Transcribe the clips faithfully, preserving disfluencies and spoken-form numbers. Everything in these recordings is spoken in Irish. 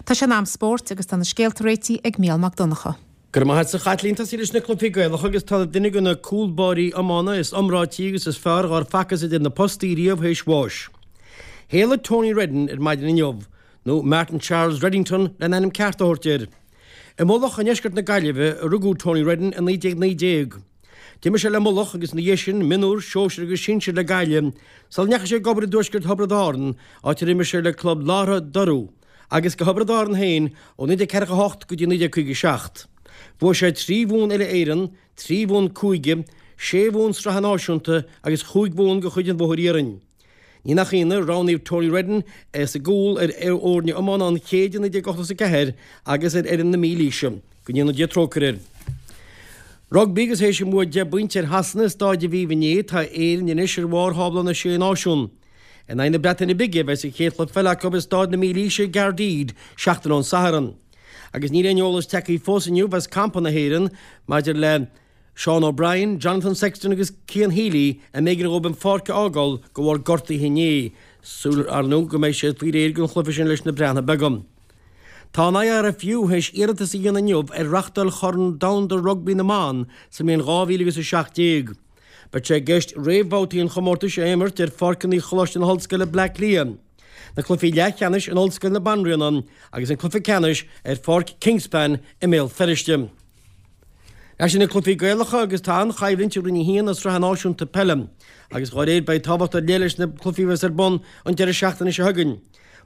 Tá sé in am spóirt agus tá na scéalta réitithe ag Mícheál Mac Donncha. Go raibh maith agat a Chaitlín tosaí leis na cluichí Gaelacha agus tá duine de na cúlbáirí iomána is iomráití agus is fearr dhár facthas idir na postaí riamh théis bháis. Shéalaigh Tony Redden ar maidin inniu, nó Martin Charles Reddington lena ainm ceart a thabhairt air. I Mullach i ndeisceart na Gaillimhe a rugadh Tony Redden i naoi déag naoi déag. D'imir sé le Mullach agus ina dhiaidh sin mionúr, sóisir agus sinsir le Gaillimh, sula ndeachaigh sé ag obair i dtuaisceart Thiobraid Árann, áit ar imir sé le club Látha Durú, agus do Thiobraid Árann féin ó naoi déag ceathracha a hocht go dtí naoi déag caoga a seacht. Bhuaigh sé trí bhonn uile-Éireann, trí bhonn cúige, sé bhonn sraithe náisiúnta agus chúig bhonn de chuid an Bhóthair Iarainn. Ní nach ionadh, roghnaíodh Tony Redden é sa gcúl ar fhoirne iomána an chéid i naoi déag ochtó is a ceathair agus ar fhoireann na Mílaoise. Go ndéana Dia trócaire air. Rugbaí agus théis a mbua deich bpointe ar Shasana i Stáid Aviva inné, tá Éirinn anois ar bharr thábla na Sé Náisiún. In aghaidh na Breataine Bige a bheas an chéad chluiche peile acu i Stáid na Mílaoise i gCaerdydd seachtain ón Satharn. Agus níl aon eolas tagtha fós inniu as campa na hÉireann maidir le Sean O'Brien, Jonathan Sexton agus Cian Healy a mb'éigean dhóibh an pháirc a fhágáil de bharr gortuithe inné, súil ar ndóigh go mbeidh siad faoi réir don chluiche sin leis na Breatnaigh Beaga. Tá an IRFU théis iarratas a dhéanamh inniu ar reáchtáil Chorn Domhanda Rugbaí na mBan sa mbliain dhá mhíle agus a seacht déag. Beidh sé i gceist réamhbhabhtaí an chomórtais a imirt ar pháirceanna Choláiste na hOllscoile Bleá Cliath, na cluichí leathcheannais in Ollscoil na Banríona agus an cluiche ceannais ar pháirc Kingspan i mBéal Feirste. Leis na cluichí Gaelacha agus tá an-choimhlint i Roinn a haon na Sraithe Náisiúnta Peile agus dá réir beidh tábhacht ar leith leis na cluichí a bheas ar bun an deireadh seachtaine seo chugainn.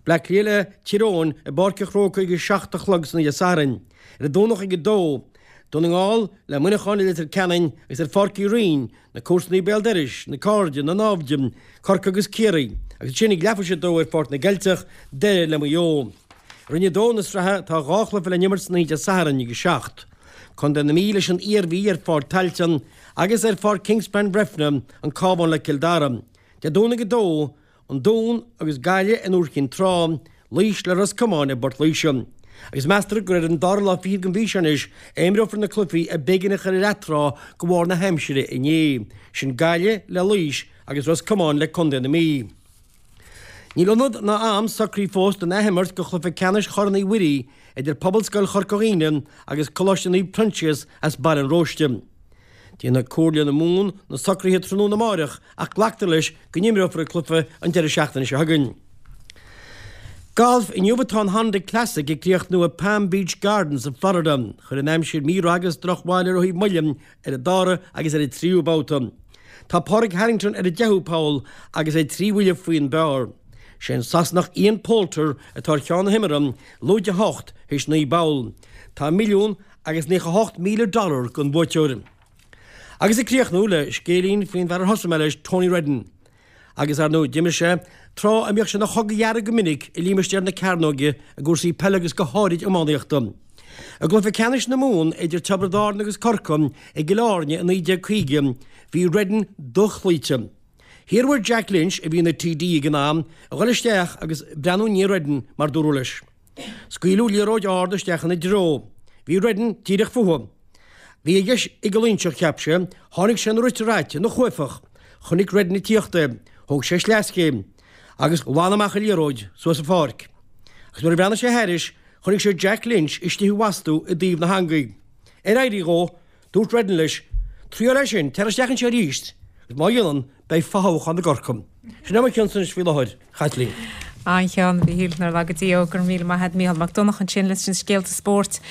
Bleá Cliath le Tír Eoghain i bPáirc an Chrócaigh ag a seacht a chlog san oíche Sathairn. Ar an Domhnach ag a dó, Dún na nGall le Muineachán i Leitir Ceanainn agus ar Pháirc Uí Rinn, na comharsanaí béal dorais, na cairde, na naimhde, Corcaigh agus Ciarraí, agus ansin ag leathuair théis a dó ar Pháirc na gCeilteach, Doire le Maigh Eo. I Roinn a dó na sraithe tá dhá chluiche le n-imirt san oíche Dé Sathairn ag a seacht. Contae na Mí leis an Iarmhí ar Pháirc Tailteann agus ar Pháirc Kingspan Bhreifne, an Cabhán le Cill Dara. Dé Domhnaigh a dó, An Dún agus Gaillimh in Iúr Chinn Trá, Laois le Ros Comáin i bPort Laoise. Agus meastar gur ar an dara lá fichead den mhí seo anois a imreofar na cluichí a b'éigean a chur ar atráth de bharr na haimsire inné, sin Gaillimh le Laois agus Ros Comáin le Contae na Mí. Níl ionad ná am socraithe fós don athimirt de chluiche ceannais Chorn Uí Mhuirí idir Pobalscoil Chorca Dhuibhne agus Coláiste Naomh Proinsias as Baile an Róiste. Déanfaidh Comhairle na Mumhan na socruithe tráthnóna amáireach ach glactar leis go n-imreofar an cluiche an deireadh seachtaine seo chugainn. Galf, Inniu atá an Honda Classic ag críochnú i Palm Beach Gardens i Florida. Chuir an aimsir mí-rath agus drochbhail ar rothaí moille ar an dara agus ar an tríú babhta. Tá Pádraig Harrington ar an deichiú poll agus é trí bhuille faoin bpar. Sé an Sasanach Ian Poulter atá ar cheann na himeartha, lúide a hocht théis naoi bpoll. Tá milliún agus naocha a hocht míle dollar don bhuaiteoir. Agus ag críochnú le scéilín faoin bhfear ar thosaigh mé leis, Tony Redden. Agus, ar ndóigh, d'imir sé tráth a mbíodh sé ina chogadh dhearg go minic i límistéar na Cearnóige i gcúrsaí peile agus go háirid iománaíochta. I gcluiche ceannais na Mumhan idir Tiobraid Árann agus Corcaigh i gCill Airne i naoi déag caoga, bhí Redden dochloíte. Hiarradh ar Jack Lynch, a bhí ina T D ag an am, a dhul isteach agus breathnú i ndiaidh Redden, mar dúradh leis. Scaoileadh liathróid ard isteach ina dtreo. Bhí Redden díreach fúthu. Bhí a dheis ag an Loingseach, cheap sé. Tháinig sé ina rite raite, ina chuaifeach. Chonaic Redden ag tíocht é. Thóg sé sleaschéim. Agus ghlan amach an liathróid, suas an pháirc. Agus nuair a bhreathnaigh sé thairis, chonaic sé Jack Lynch istigh i bhfastú i dtaobh na heangaí. Ar éirí dhó, dúirt Redden leis, Triail é sin, tar isteach anseo arís, agus má dhéanann, beidh fothoghchán i gCorcaigh. Sin é mo chionn-sa anois faoi láthair, a Chaitlín. An-cheann, a Mhíchíl, nár laga Dia thú, go raibh míle maith agat, Mícheál Mac Donncha ansin leis na scéalta spóirt.